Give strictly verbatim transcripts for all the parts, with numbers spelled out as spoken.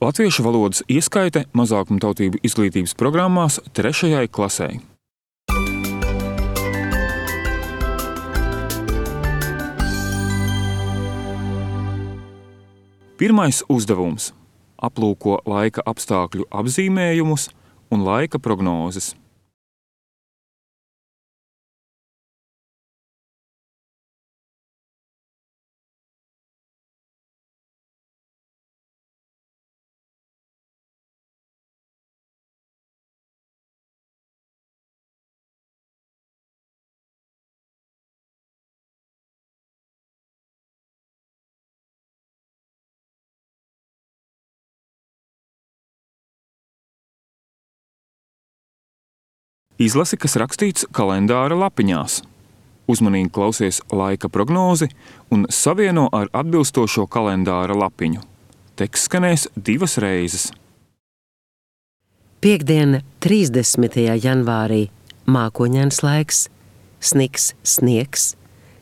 Latviešu valodas ieskaite mazākumtautību izglītības programmās trešajai klasei. Pirmais uzdevums – aplūko laika apstākļu apzīmējumus un laika prognozes. Izlasi, kas rakstīts kalendāra lapiņās. Uzmanīgi klausies laika prognozi un savieno ar atbilstošo kalendāra lapiņu. Teksts skanēs divas reizes. Piektdiena, trīsdesmitajā janvārī, mākoņains laiks, sniks, sniegs,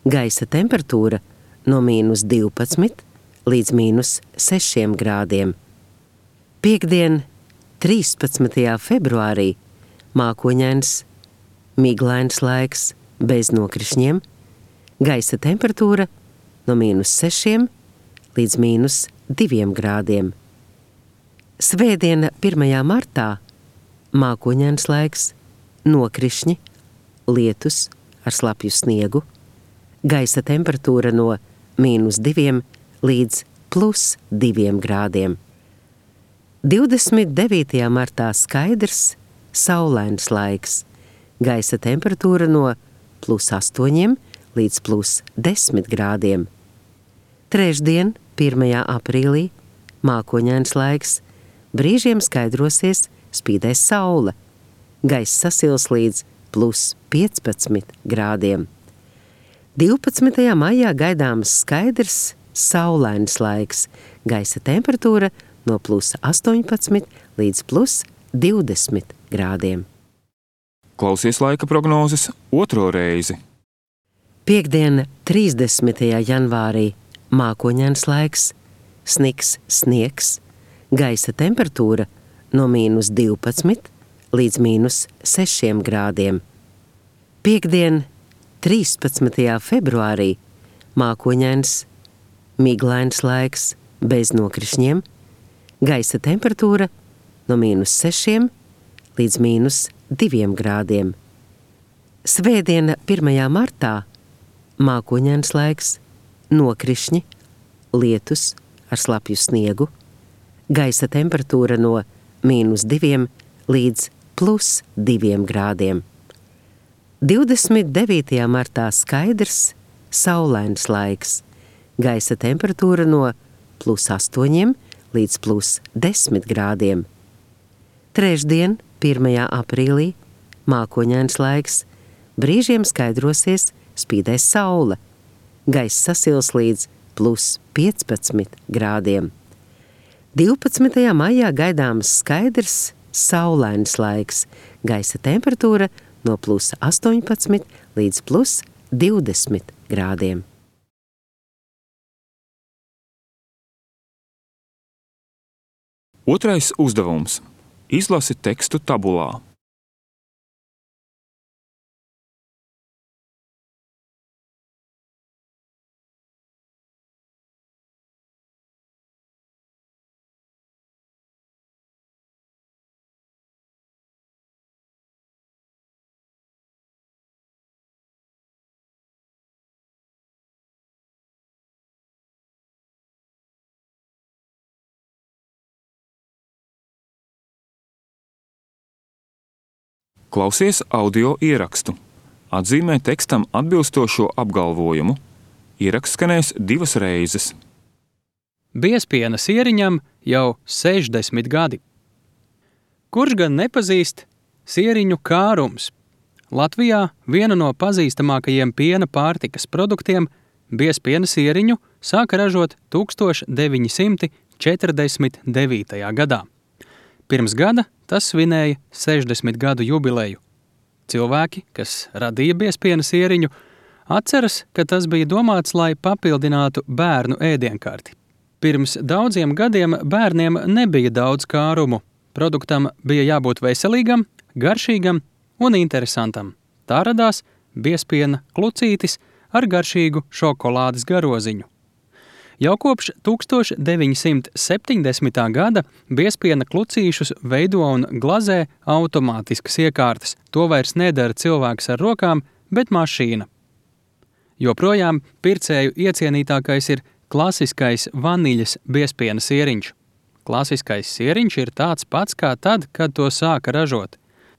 gaisa temperatūra no mīnus divpadsmit līdz mīnus sešiem grādiem. Piektdiena, trīspadsmitajā februārī, mākoņains, miglains laiks, bez nokrišņiem, gaisa temperatūra no mīnus sešiem līdz mīnus diviem grādiem. Svētdiena, pirmajā martā, mākoņains laiks, nokrišņi, lietus ar slapju sniegu, gaisa temperatūra no mīnus diviem līdz plus diviem grādiem. divdesmit devītajā martā skaidrs, saulains laiks, gaisa temperatūra no plus astoņiem līdz plus desmit grādiem. Trešdien, pirmajā aprīlī, mākoņains laiks, brīžiem skaidrosies, spīdēs saule, gaisa sasils līdz plus piecpadsmit grādiem. divpadsmitajā maijā gaidāms skaidrs, saulains laiks, gaisa temperatūra no plus astoņpadsmit līdz plus divdesmit grādiem. Klausies laika prognozes otro reizi. Piektdiena, trīsdesmitajā janvārī, mākoņains laiks, sniks, sniegs, gaisa temperatūra no mīnus divpadsmit līdz mīnus sešiem grādiem. Piektdiena, trīspadsmitajā februārī, mākoņains, miglains laiks, bez nokrišņiem, gaisa temperatūra no mīnus sešiem līdz mīnus diviem grādiem. Svētdiena, pirmajā martā, mākoņains laiks, nokrišņi, lietus ar slapju sniegu, gaisa temperatūra no mīnus diviem līdz plus diviem grādiem. divdesmit devītajā martā skaidrs, saulains laiks, gaisa temperatūra no plus astoņiem līdz plus desmit grādiem. Trešdien, pirmajā aprīlī, mākoņains laiks, brīžiem skaidrosies, spīdēs saule, gaisa sasils līdz plus piecpadsmit grādiem. divpadsmitajā maijā gaidāms skaidrs, saulains laiks, gaisa temperatūra no plus astoņpadsmit līdz plus divdesmit grādiem. Otrais uzdevums. Izlasi tekstu tabulā. Klausies audio ierakstu. Atzīmē tekstam atbilstošo apgalvojumu. Ieraksts skanēs divas reizes. Biespiena sieriņam jau sešdesmit gadi. Kurš gan nepazīst sieriņu kārums? Latvijā viena no pazīstamākajiem piena pārtikas produktiem, biespiena sieriņu, sāka ražot tūkstoš deviņi simti četrdesmit devītajā gadā. Pirms gada tas svinēja sešdesmit gadu jubileju. Cilvēki, kas radīja biespiena sieriņu, atceras, ka tas bija domāts, lai papildinātu bērnu ēdienkarti. Pirms daudziem gadiem bērniem nebija daudz kārumu. Produktam bija jābūt veselīgam, garšīgam un interesantam. Tā radās biezpiena klucītis ar garšīgu šokolādes garoziņu. Jau kopš tūkstoš deviņi simti septiņdesmitā gada biezpiena klucīšus veido un glazē automātiskas iekārtas. To vairs nedara cilvēks ar rokām, bet mašīna. Joprojām pircēju iecienītākais ir klasiskais vaniļas biezpiena sieriņš. Klasiskais sieriņš ir tāds pats kā tad, kad to sāka ražot.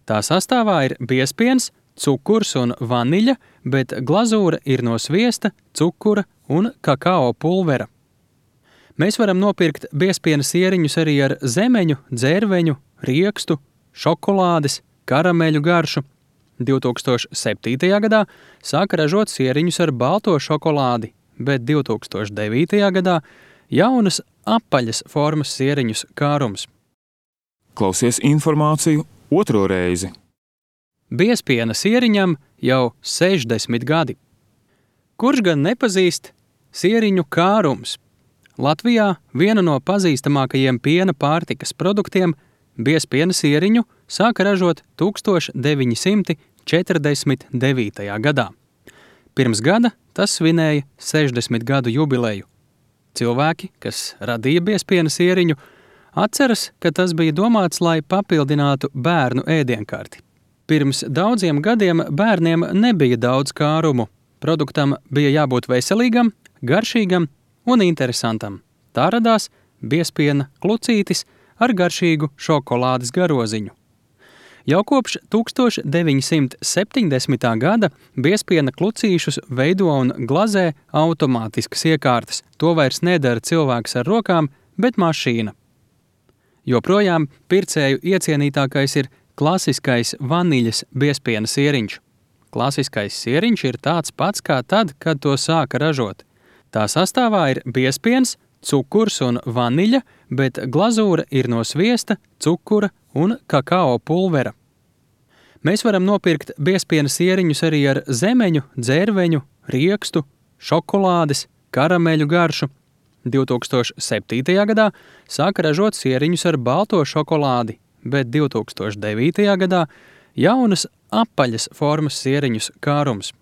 Tā sastāvā ir biezpiens, cukurs un vaniļa, bet glazūra ir no sviesta, cukura un kakao pulvera. Mēs varam nopirkt biezpiena sieriņus arī ar zemeņu, dzērveņu, riekstu, šokolādes, karameļu garšu. divtūkstoš septītajā gadā sāka ražot sieriņus ar balto šokolādi, bet divtūkstoš devītajā gadā jaunas apaļas formas sieriņus kārums. Klausies informāciju otro reizi. Biezpiena sieriņam jau sešdesmit gadi. Kurš gan nepazīst sieriņu kārums? Latvijā viena no pazīstamākajiem piena pārtikas produktiem, biezpiena sieriņu, sāka ražot tūkstoš deviņi simti četrdesmit devītajā gadā. Pirms gada tas svinēja sešdesmit gadu jubileju. Cilvēki, kas radīja biezpiena sieriņu, atceras, ka tas bija domāts, lai papildinātu bērnu ēdienkarti. Pirms daudziem gadiem bērniem nebija daudz kārumu. Produktam bija jābūt veselīgam, garšīgam un interesantam. Tā radās biezpiena klucītis ar garšīgu šokolādes garoziņu. Jau kopš tūkstoš deviņi simti septiņdesmitā gada biezpiena klucīšus veido un glazē automātiskas iekārtas. To vairs nedara cilvēks ar rokām, bet mašīna. Joprojām pircēju iecienītākais ir klasiskais vaniļas biezpiena sieriņš. Klasiskais sieriņš ir tāds pats kā tad, kad to sāka ražot. Tā sastāvā ir biezpiens, cukurs un vaniļa, bet glazūra ir no sviesta, cukura un kakao pulvera. Mēs varam nopirkt biezpiena sieriņus arī ar zemeņu, dzērveņu, riekstu, šokolādes, karameļu garšu. divtūkstoš septītajā gadā sāka ražot sieriņus ar balto šokolādi, bet divtūkstoš devītajā gadā jaunas apaļas formas sieriņus kārums.